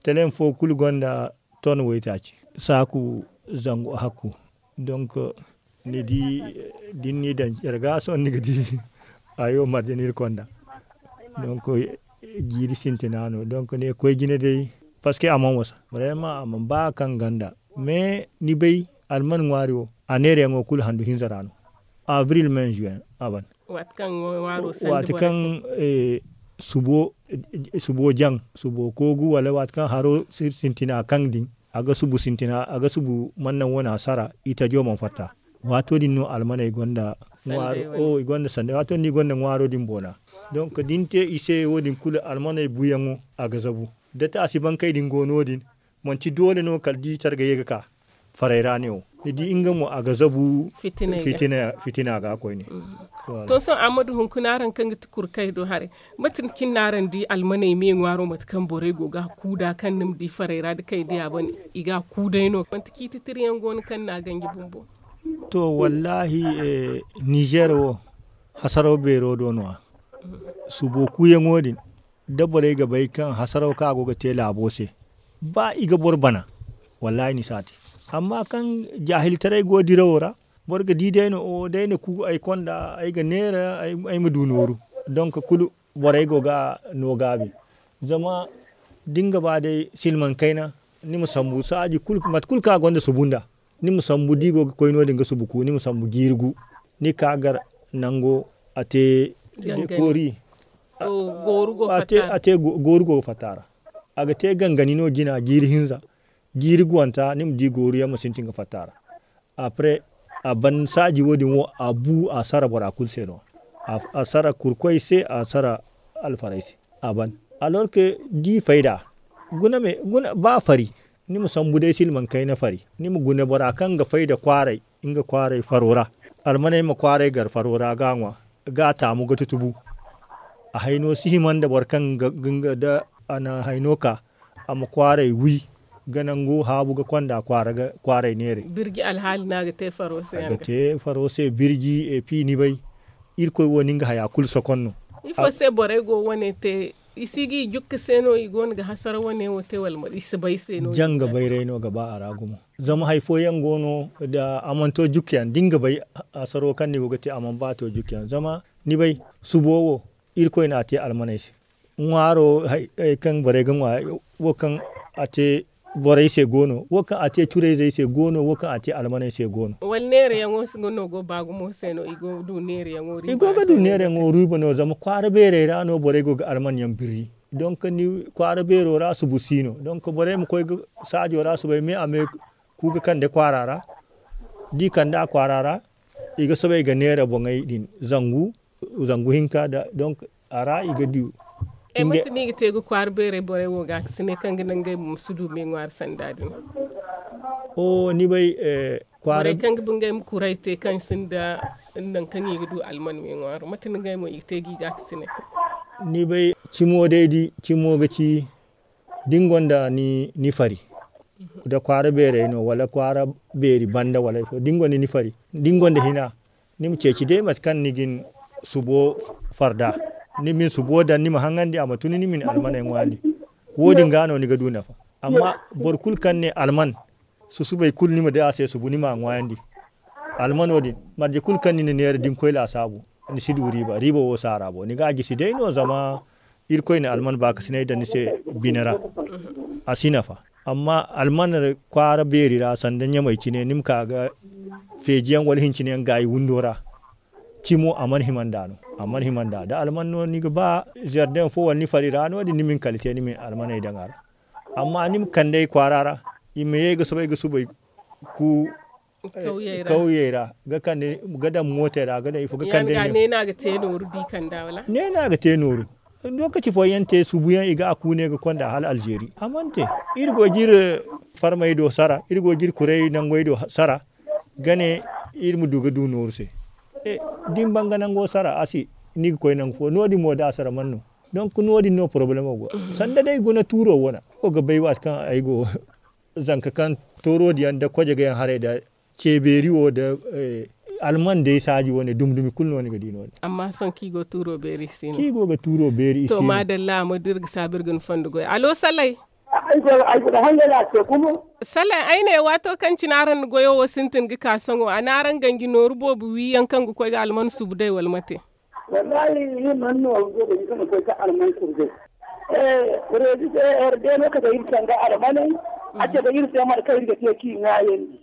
telem fo kulu gonda ton waytaaci, saaku zangu hakku. Donk ni di, da ni n'i daŋ care ga sohõ ni ga di hayo marje no iri konda. Donk jiiri sintina no, donk ne koy jine day, parceque a mana wasa, vraiment a mana ba kaŋ ganda. Mais ni bay, alman ŋwaari wo, a neerayaŋo kulu handu hinza ra no. Avril, mai, juin a ban. Waati kaŋ subo jaŋ, subo koogu wala waati kaŋ haro sintina kaŋ din, a ga subu sintina, a ga subu mana naŋ wane a sara, itajo mana fatta. Waato din no almaney gonda ŋwaaro, i gonda sanda waato din no i gonda ŋwaaro din boona. Donk da ni te i se wo- din kulu almaney buyaŋo, a ga zabu. Da taasi bankey din go no- din, manti doole no kala da i care ga ye ga ka faray ra ne wo. Ni di nga mo a ga zabu fitina ga koyne. To sohõ amadu hunkuna araŋ kaŋ ga ti kurkay do haray, mate cine no araŋ di almaney me ŋwaaro mate kaŋ borey go ga a kuu da kaŋ ni ma di faray ra da kay diya ban, i ga a kuu day no manti ciiti tiriyaŋ go no kaŋ ni n'a ganji bumbo? To wallaahi, nizer wo, hasaraw beero do no- ya. Subo kuuyaŋo din, da borey ga bay kaŋ hasaraw kaŋ a go ga te laabo se, ba i ga boro bana, wallaahi ni si a te. Amma kaŋ jaahiltaray go dirawo ra, boro ga di day no o day na ku ay konda ay ga neera ay ma du nooru. Donk kulu borey go ga no gaabi. Zama da ni ga ba day silmaŋ kayna, ni ma sambu saaji kulu, mate kulu kaŋ a gonda subu nda, ni ma sambu da i go ga koy no- din ga subu ku, ni ma sambu jiiri gu. Ni ka gar nango a te koori. A te gooru go ga fatta a ra. A ga te gangani no jina jiiri hinza, jiiri guwanta ni ma di gooru yaŋ ma sintin ga fatta a ra. Après a ban saaji wo- din wo a bu a sara bora kulu se no. A sara kurkoy se, a sara alfaray se. A ban alorke di fayda. Guna me guna ba fari. Ni ma sambu day silmaŋ kayna fari ni ma guna bora kaŋ ga fayda kwaaray, nga kwaaray faro ra. Almaney ma kwaaray gar faro ra ga a ŋwa, ga a taamu ga tutubu. A hayno si hima nda boro kaŋ ga nga da a na hayno ka a ma kwaaray wi, ga nangu haabu ga konda kwaaray neeray. Birji alhaali no a ga te faro se a ga te faro se birji epi ni bay. Irkoy wo no nga haya kulu sokon no. Ifo se borey go wane te? I si ga i jukka se no i go no ga hasara wane wo te wala i si bay se no? Janga bayray no ga ba a ra gumo. Zama hari fooyaŋ go no da a mana to jukka yaŋ da ni ga bay, hasaro kaŋ ni go ga te a mana ba to jukka yaŋ zama ni bay, subo wo irkoy no a te almaney se. Ŋwaaro hari kaŋ borey ga ŋwa, wo kaŋ a te borey se go no, wo kaŋ a te curayzey se go no, wo kaŋ a te almaney se go no. Wala neerayaŋo si ga no go ba gumo se no i go ga du neerayaŋo riiba no zama kwaara beerey ra no borey go ga alman yaŋ birri. Donk ni kwaara beero ra subu si no donk borey ma koy ga saajo ra subay me a me ku ga kande kwaara ra. Da i kande a kwaara ra, i ga soobay ga neera boŋey din zangu zangu hinka da donk a ra i ga du. Mate no i ga te ga kwaara beerey borey wo ga a ga si ne kaŋ ga naŋ ngey ma si du me ŋwaari sanda din? Oho ni bay kwaara borey kaŋ ga ba ngey ma kuray te kaŋ sinda nangu kaŋ i ga du alman me ŋwaaro mate no ngey mo i ga te ga i ga a ga si ne? Ni bay cimo day di cimo ga ci da ni gonda ni fari, da kwaara beerey no wala kwaara beeri banda wala ifo da ni gonda ni fari, da ni gonda hina, ni ma ceeci day mate kaŋ ni ga ni subo farda, ni ma ni subo daŋ ni ma haŋandi a ma tun ni ma ni almaney ŋwaayandi. Wo- din ga no ni ga du nafa. Amma boro kulu kaŋ ne alman susubay kulu ni ma day a se subu ni ma a ŋwaayandi. Almano din marje kulu kaŋ ni na neera da ni koy laasaabu, ni si du riiba riiba wo si a ra bo ni ga a gisi day no zama irkoy na alman baakasinay daŋ ni se bine ra. A si nafa. Amma alman kwaara beeri ra sanda ɲamey cine ni ma ka ga feeji yaŋ wala hincine yaŋ gaayi windo ra. Cimo a mana hima nd'a no. A mana hima nd'a da alman no ni ga ba zardeŋ fo wala ni fari ra no- din ni ma ni kala te ni ma ni almaney daŋ a ra. Amma ni ma kand'ey kwaara ra, i ma ye ga soobay ga subay ku kawyey ra ga kande ga daŋ mootey ra ga daŋ ifo ga kande ne no a ga te nooru. Lokaci fooyaŋ te subuyaŋ i ga a kuune ga konda hala alzeeri a mana te. Iri go ga iri farmey do sara iri go ga iri kuray nangey do sara ga ne iri ma du ga du nooru se. Da ni ban ga nango sara a se ni ga koy nangu fo no- din mo da a sara mana no. Donk no- din no porobalemo go sanda day guna tuuro wane. Wo ga bay waati kaŋ ay go zanka kaŋ tooro diyaŋ nda kojegayaŋ haray nda ceebeeri wo nda alman day saaji wane dumi dumi kulu no ni ga di no- din. Amma sohõ kaŋ i go ga tuuro beeri i si no. Kaŋ i go ga tuuro beeri i si no. To maadalla a ma du iri ga saabu iri ga ni fondo goy alo salay. Ay go ga hangay no a te gumo. Salay ay ne waato kaŋ cine araŋ na goyo wo sintin ga ka sohõ a na araŋ ganji nooru boobo wi yaŋ kaŋ ga koy ga alman subu day wala mate? Wallahi iri mana nooru boobo iri kaŋ ga koy ga alman subu day. Reezi se herdeeno kate iri sanda almaney. A cabe iri se mate kaŋ iri ga te kaŋ i ŋwaayandi.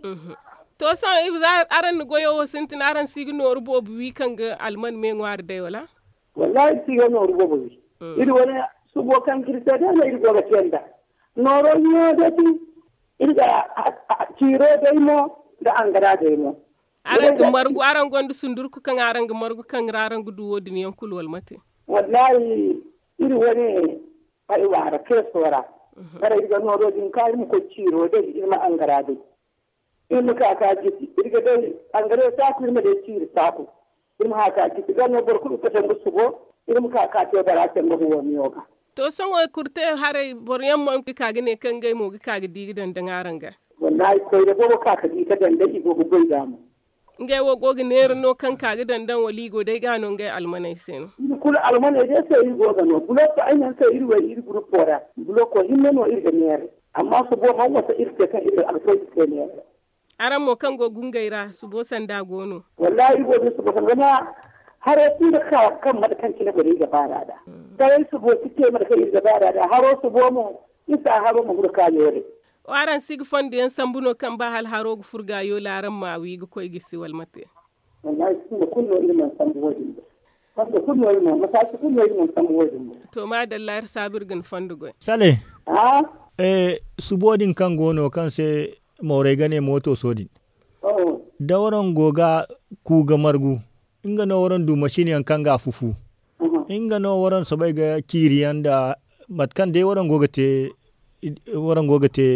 To sohõ ize araŋ na goyo wo sintin araŋ si ga nooru boobo wi kaŋ ga alman me ŋwaari day wala? Wallahi iri si ga nooru boobo wi. Iri wane subo kaŋ ga iri se day no iri go ga te nd'a. Nooro wiyaŋo day ti iri ga ciiro day mo nda angara day mo. Araŋ ga margu araŋ gonda sundurku kaŋ araŋ ga margu kaŋ ra araŋ ga du wo- din yaŋ kulu wala mate? Wallahi iri wane ay waara keeso ra. Bara iri ga nooro din ka iri ma koy ciiro day iri ma angara day. Iri ma ka ka jisi iri ga day angara saaku iri ma day ciiri saaku. Iri ma haka jisi ga no boro kulu ga kate nga subo. Iri ma ka ka te bara se nga huwa miyo ga. To sohõ kurte haray boro yaŋ mo ga ka ga ne kaŋ ngey mo ga ka ga di ga daŋ daŋ araŋ ga? Wallahi koyne boobo ka ga di ga daŋ day i go ga goy ga mo. Ngey wo go ga neera no kaŋ ka ga daŋ daŋ wala i go day ga no ngey almaney se no? Iri kulu almaney day se iri go ga no buloko ay naŋ se iri way iri gurupo ra. Buloko hinne no iri ga neera. Amma subo man wasa iri se kaŋ iri alfayda se neera. Araŋ mo kaŋ go gungey ra subo sanda go no? Wallahi iri go ga subo sanda zama haray kulu ga ka kaŋ mate kaŋ cine borey ga baar'a nd'a. Taray subo si te mate kaŋ iri ga ba da da haro subo mo. Isa haro ma furo ka yoore. Waraŋ si ga fondo yaŋ sambu no kaŋ ba hala haro ga furo ga yoole araŋ ma wi ga koy gisi wala mate? Wallahi fondo kulu no iri mana sambu wo- din. Fondo kulu no iri mana masaasi kulu no iri mana sambu wo- din. To ma dalla iri saabu iri ga ni fondo goy. Sale. Subo din kaŋ go no kaŋ se mooray ga ne mooto so din. Da waraŋ go ga ku ga margu, nga no waraŋ du masin yaŋ kaŋ ga a fufu. Nga no waraŋ soobay ga ciiri yaŋ nda mate kaŋ day waraŋ go ga te waraŋ go ga te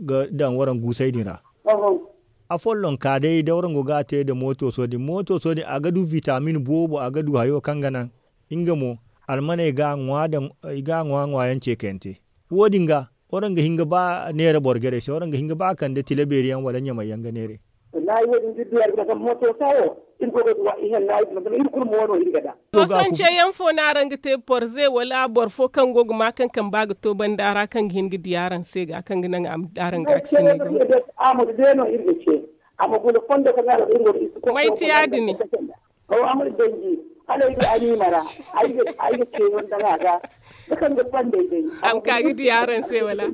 ga daŋ waraŋ guusay din ra. Afolloŋ ka day da waraŋ go ga a te nda mooto so- din mooto so- din a ga du vitamin boobo a ga du hayo kaŋ ga naŋ. Nga mo almaney ga a ŋwa yaŋ ce kayante. Wo- din ga waraŋ ga hin ga ba neera boro jarey se waraŋ ga hin ga ba kande tila beeri yaŋ wala ɲamay yaŋ ga neeray. Wallahi wo- din da iri du yaŋ ga zama mooto sa wo iri go ga du wa ihanna iri zama iri kulu mo wo no iri ga da. To sance yaŋ fo no araŋ ga te porze wala boro fo kaŋ go ga ma kaŋ kamba ga to banda ra kaŋ ga hin ga di araŋ se ga kaŋ ga naŋ araŋ ga a ga sinay ga. Amadu day no iri ga ce. Amma guna fondo kaŋ araŋ ga iri go ga isi ko. May ti ya- din. Aw amadu danji hala ay ga anima ra ay ga ay ga ce yaŋ daŋ a ga. Kaŋ ga fondey day. Am ka ga di araŋ se wala?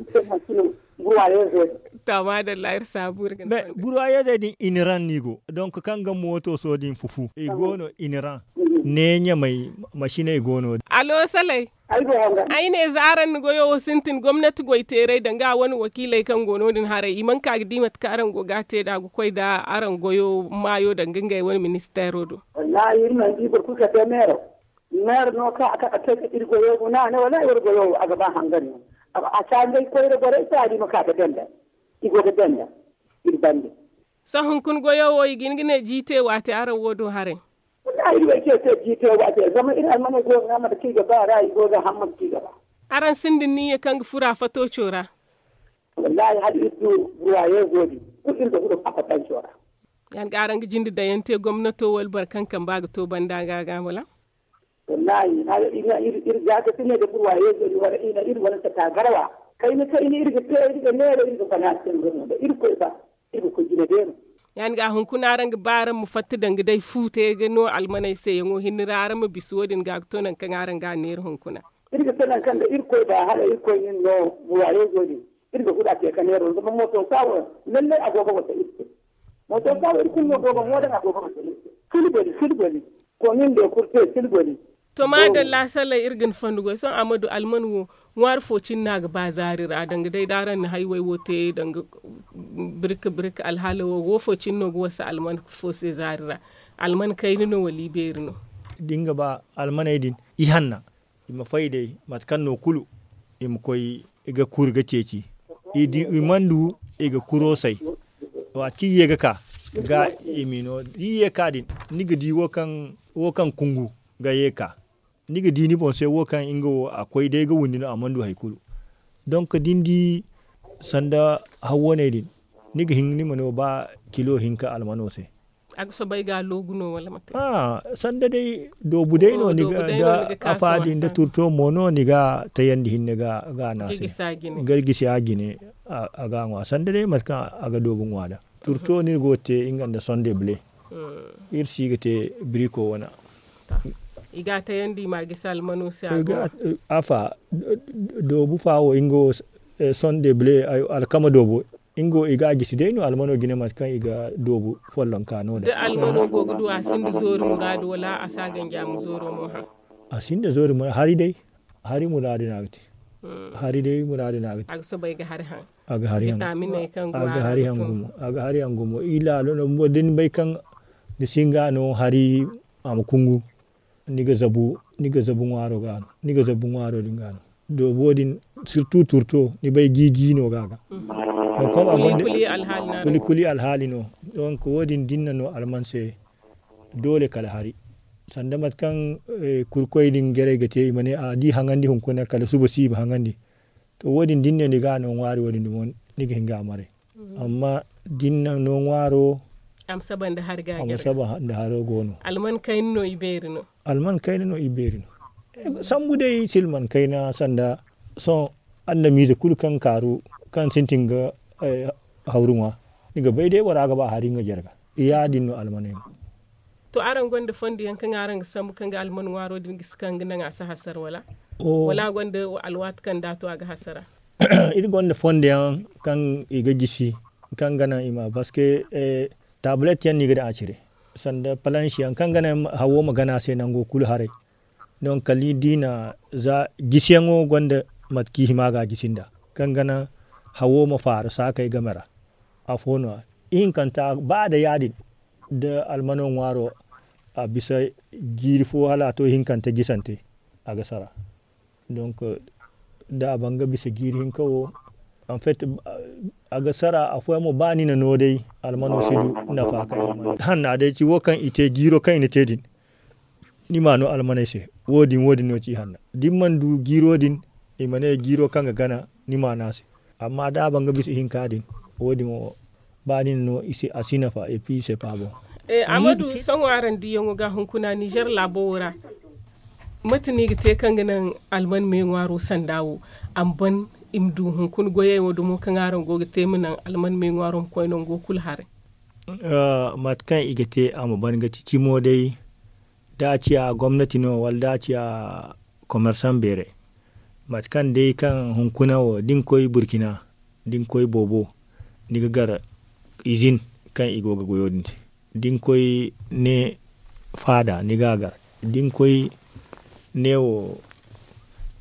Burwayeezey. To ma dalla iri saabu iri ga burwayeezey din iniran no i go donc kaŋ ga mooto so- din fufu i go no iniran. Ne ɲamay masiney go no. Alo salay. Ay ne za araŋ na goyo wo sintin gomnati goy teeray danga a wane wakiiley kaŋ go no- din haray i mana ka ga di mate kaŋ araŋ go ga a te nd'a ga koy nda araŋ goyo maayo danga ngey wane ministeero do. Wallahi iri mana di boro kulu ka te meero. Meero no kaŋ a ka ga te ga iri goyo guna a ne wallahi wara goyo wo a ga ba hangan no. A caanday koyra borey se a di ma ka ga denda. I go ga denda. Iri bande. Sohõ hunkuna goyo wo i ga hin ga ne jiite waate araŋ wo do haray. Wallahi iri way ce se jiite waate zama iri almaney go ga ŋwa mate kaŋ i ga ba ra i go ga haŋ mate kaŋ i ga ba. Araŋ sinda niyya kaŋ ga furo a fato co ra? Wallahi hala iri du burwayeezo din kulu iri ga furo a fatanco ra. Yaŋ ga araŋ ga jinde dayaŋ te gomnato wala boro kaŋ kamba ga to banda ga ga wala? Wallahi hala iri ga ga sine da burwayeezo din wala iri wane sata garwa kayna kayna iri ga te iri ga neera iri ga fana se nga no da iri koy ba. Iri ga koy jina beero. Yaŋ ga hunkuna araŋ ga ba araŋ ma fatta danga day fu te ga no almaney se yaŋo hinne ra araŋ ma bisa wo- din ga ga to nangu kaŋ araŋ ga a neera hunkuna. Iri ga te nangu kaŋ da iri koy ba hala iri koy nin no burwayeezo din. Iri ga furo a te ga neera zama mooto sa wo lallay a go ga wasa iri se. Mooto sa wo iri kulu no go ga ŋwa daŋ a go ga wasa iri se. Silbali silbali. Komin de kurte silbali. To maadalla sallah iri ga ni fondo goy sohõ a ma du alman wo ŋwaari fo cine no a ga ba zaari ra danga day da araŋ na hayway wo te danga birka birka alhaala wo wo fo cine no ga wasa alman fo se zaari ra. Alman kayna no wala ibeeri no? Da ni ga ba almaney din ihanna i ma fay day mate kaŋ no kulu i ma koy ga kuri ga ceeci. I mana du i ga kuro say. Waati kaŋ i ye ga ka ga i ma i no da i ye ga ka din ni ga di wo kaŋ kungu ga ye ga ka. Ni ga di ni boŋ se wo kaŋ nga wo a koy day ga windi no a mana du hari kulu. Donk da ni di sanda hawwaney din ni ga hin ni ma no ba kilo hinka almano se. A ga soobay ga a loogu no wala mate? Sanda day doobu day no ni ga da afa din da turto mo no ni ga a tayandi hinne ga a naase ga gisi a jine a ga a ŋwa sanda day mate kaŋ a ga doobu ŋwa da. Turto no iri go ga te nga nda sonde bule. Iri si ga te biriko wana. I ga a tayandi i ma a gisi almano se a ga afa doobu fa wo nga wo sonde bule alkama doobo. Nga wo i ga a gisi day no almano jine mate kaŋ i ga doobu follonka no da almano go ga du a sinda zoori muraadu wala a si a ganji a ma zooro mo haŋ? A sinda zoori muraadu hari day. Hari muraadu no a ga te. Hari day muraadu no a ga te. A ga soobay ga hari haŋ. A ga hari haŋ. Bitaminey kaŋ go a ga hari haŋ gumo. A ga hari haŋ gumo i laalo no bumbo da ni bay kaŋ ni si nga no hari a ma kungu. Ni ga zabu ni ga zabu ŋwaaro ga no ni ga zabu ŋwaaro din ga no. Doobo din sirtu turto ni bay jiiji no ga ga. Kuli kuli alhaali no. Donk wo- din da ni na no alman se doole kala hari. Sanda mate kaŋ kurkoy din jarey ga te i ma ne a da i haŋandi hunkuna kala suba si i ma haŋandi. To wo- din da ni ne ni ga a no ŋwaari wo- din dumo ni ga hin ga a maray. Amma da ni na no ŋwaaro a ma saba nda hari ga a jare ga. Alman kayna no i beeri no. Alman kayna no i beeri no. Sambu day silman kayna sanda sohõ adamize kulu kaŋ kaaru kaŋ sintin ga hawru ŋwa. Ni ga bay day bora ga ba hari nga jare ga. Ya- din no almaney mo. To araŋ gonda fondo yaŋ kaŋ araŋ ga sambu kaŋ ga alman ŋwaaro din gisi kaŋ ga naŋ a si hasara wala? Wala a gonda alwaati kaŋ da a to a ga hasara? Iri gonda fondo yaŋ kaŋ i ga gisi kaŋ ga naŋ i ma parce que taabulet yaŋ no i ga daŋ a cire sanda palansi yaŋ kaŋ ga naŋ hawo ma gana a se nango kulu haray. Donk kala ni di na za gisiyaŋo gonda mate kaŋ i hima ga a gisi nda kaŋ ga naŋ hawo ma faaru saakey game ra. Afo no- ya ihinkanta ba a day ya- din da almano ŋwaaro a bisa jiiri fo hala a to ihinkante gisante a ga sara. Donk da a ban ga bisa jiiri hinka wo en fait a ga sara afooyaŋ mo ba ni na no day almano si du nafa kaŋ i mana hanna day ci wo kaŋ i te jiiro kaŋ i na te din. Ni ma no almaney se wo- din wo- din no ci hanna da ni mana du jiiro din i ma ne jiiro kaŋ ga gana ni ma no a se. Amma da a ban ga bisa ihinka din wo- din wo ba ni na no a si nafa et puis c'est pas bon. Amadu sohõ araŋ diyaŋo ga hunkuna nizer laabo wo ra mate no i ga te kaŋ ga naŋ alman me ŋwaaro sanda wo a ma ban i ma du hunkuna goyey wo dumo kaŋ araŋ go ga te ma naŋ alman me ŋwaaro ma koy nango kulu haray? Mate kaŋ i ga te a ma ban ga ti cimo day da a ciya gomnati no wala da a ciya komersan beeray mate kaŋ day kaŋ hunkuna wo da ni koy burkina da ni koy boobo ni ga gar izin kaŋ i go ga goyo din te da ni koy ne faada ni ga a gar da ni koy ne wo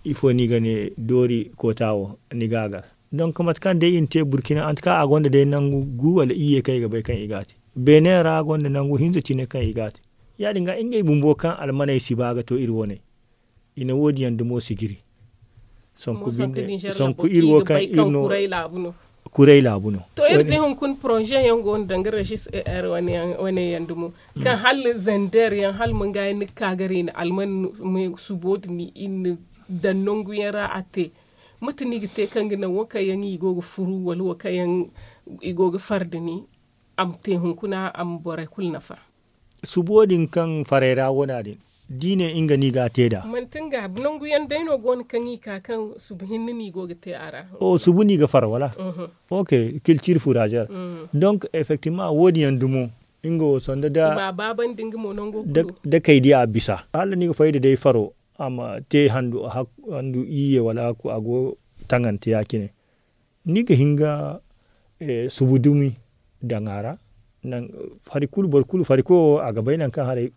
ifo no i ga ne doori koota wo ni ga a gar. Donk mate kaŋ day i na te burkina antuka a gonda day nangu gu wala iyye kaŋ i ga bay kaŋ i ga a te beene ra gonda nangu hinza cine kaŋ i ga a te. Ya- din ga ngey bumbo kaŋ almaney si ba ga to iri wane i na wo- din yaŋ dumo sijiri. Sonku iri wo kaŋ iri no kuray laabu no. To iri di hunkuna poroze yaŋ go no danga resis er wane yaŋ dumo kaŋ hala zander yaŋ hala manga yaŋ ni ga ka ga ra i na alman subo din i na daŋ nangu yaŋ ra a te. Mate no i ga te kaŋ ga naŋ wo kaŋ yaŋ i go ga furu wala wo kaŋ yaŋ i go ga far da ni a ma te hunkuna a ma borey kulu nafa. Subo din kaŋ farey ra wana din da i ne nga no i ga a te nd'a. Manti nga nangu yaŋ day no go no kaŋ i ka kaŋ subu hinne no i go ga te a ra? Subu no i ga far wala? Ok. Kiltir furazer. Donk effectivement wo- din yaŋ dumo nga wo sanda da da kay di a bisa hala ni ga fay da day faro a ma te handu iyye wala a go taŋante ya- cine. Ni ga hin ga subu dumi daŋ a ra. Hari kulu boro kulu fari koyo a ga bay nangu kaŋ haray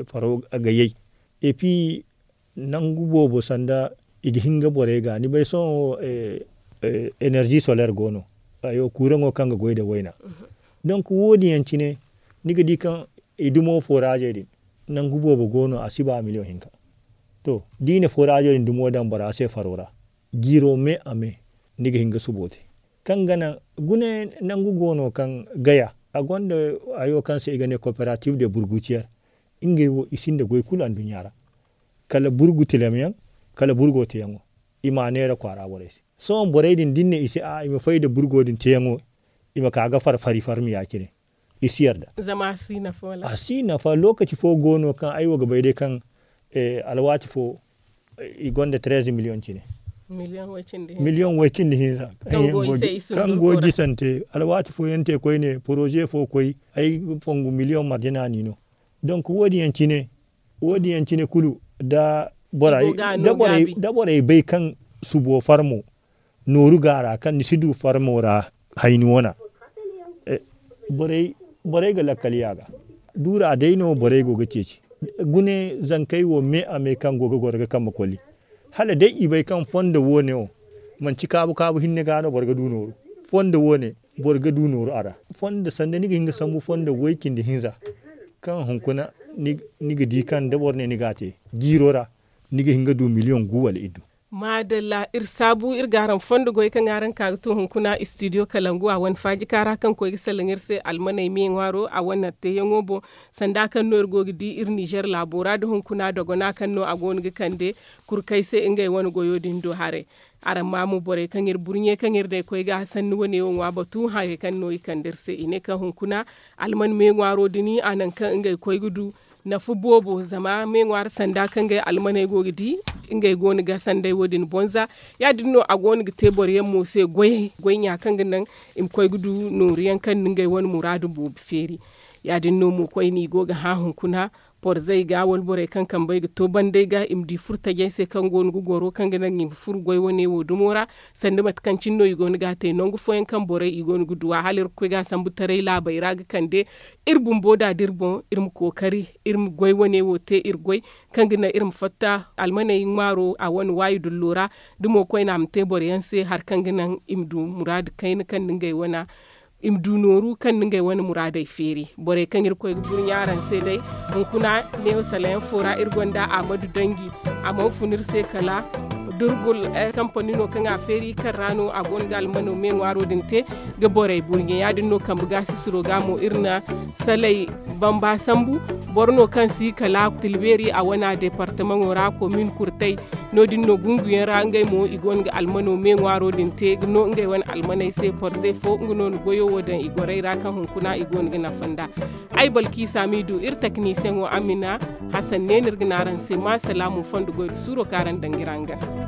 faro ga yay. Et puis nangu boobo sanda i ga hin ga borey ga ni bay sohõ enerzi soler go no. Kuuraŋo kaŋ ga goy nda wayna. Donk wo- din yaŋ cine ni ga di kaŋ i dumo foraazey din nangu boobo go no a si ba miliyoŋ hinka. To da i na foraazey din dumo daŋ bora se faro ra jiiro me a me ni ga hin ga subo te. Kaŋ ga naŋ gune nangu go no kaŋ gaya a gonda hayo kaŋ se i ga ne kooperatif de burgutiyer. Ngey wo i sinda goy kulu anduɲɲa ra kala burgu tilamyaŋ kala burgo teyaŋo. I m'a neera kwaara borey se sohõ borey din da ni ne i se a'a i ma fay nda burgo din teyaŋo i ma ka ga far fari farmi ya- cine. I si yarda. A si nafa lokaci fo go no kaŋ ay wo ga bay day kaŋ alwaati fo i gonda treze miliyoŋ cine. Miliyoŋ way cindi hinza kaŋ go gisante alwaati fo yaŋ te koyne poroze fo koy ay fongu miliyoŋ marjana no i no. Donk wo- din yaŋ cine kulu da borey bay kaŋ subo farmo nooru ga a ra kaŋ ni si du farmo ra hayni wana. Borey ga lakkali a ga duura day no borey go ga ceeci. Gune zankey wo me a me kaŋ go ga goro ga kambe koli hala day i bay kaŋ fondo wo- ne wo manci kaabu kaabu hinne ga no boro ga du nooru. Fondo wo- ne boro ga du nooru a ra. Fondo sanda ni ga hin ga sambu fondo way cindi hinza kaŋ hunkuna ni ga di kaŋ da boro ne ni ga a te jiiro ra ni ga hin ga du miliyoŋ gu wala iddu. Maadalla iri saabu iri ga araŋ fondo goy kaŋ araŋ ka ga to hunkuna istidiyo kalangu a wane faajika ra kaŋ koy ga salaŋ iri se almaney me ŋwaaro a wane teeyaŋo boŋ. Sanda kaŋ no iri go ga di iri nizer laabo ra nda hunkuna dogona kaŋ no a go no ga kande kurkey se ngey wane goyo din do haray. Araŋ ma mo borey kaŋ iri burɲe kaŋ iri day koy ga sanni wane wo ŋwa batu harey kaŋ no i kande iri se i ne kaŋ hunkuna alman me ŋwaaro din a naŋ kaŋ ngey koy ga du nafa boobo zama me ŋwaari sanda kaŋ ngey almaney go ga di ngey go no ga sanday wo- din bonza. Ya- din no a go no ga te boro yaŋ mo se goyey goy ɲa kaŋ ga naŋ i ma koy ga du nooru yaŋ kaŋ na ngey wane muraadu boobo feeri. Ya- din no mo koyne i go ga hã hunkuna, porzey ga wala borey kaŋ kambey ga to bandey ga i ma di furo tajey se kaŋ go no ga goro kaŋ ga naŋ i ma furo goy wane wo dumo ra. Sanda mate kaŋ cine no i go no ga a te nangu fooyaŋ kaŋ borey i go no ga duw'a hala irkoy ga a sambu taray laabey ra ga kande. Iri bumbo da da iri boŋ iri ma kookari iri ma goy wane wo te iri goy kaŋ ga naŋ iri ma fatta almaney ŋwaaro a wane waayi dullo ra. Da mo koyne a ma te boro yaŋ se hari kaŋ ga naŋ i ma du muraadu kayna kaŋ na ngey wane i ma du nooru kaŋ na ngey wane muraadey feeri. Borey kaŋ irkoy ga burɲa araŋ se day, hunkuna neewo salayaŋ fo ra iri gonda ahmadu danji. A mana fun iri se kala durgul kampani no kaŋ a feeri kaŋ ra no a go no ga almano me ŋwaaro din te ga borey burɲe ya- din no kambe gaasisiro ga mo iri na salay bamba sambu. Boro no kaŋ si kala tilbeeri a wana deepartamaŋo ra komin kurtay. No- din no gunguyaŋ ra ngey mo i go no ga almano me ŋwaaro din te ga no ngey wane almaney se porze fo nga no na goyo wo daŋ i gorey ra kaŋ hunkuna i go no ga nafa nd'a. Ay balki saamidu iri taknisiyaŋo amina. Hasan ne no iri ga ne araŋ se ma salaamu fondo goy nda suuro kaŋ araŋ daŋ ga iri a nga.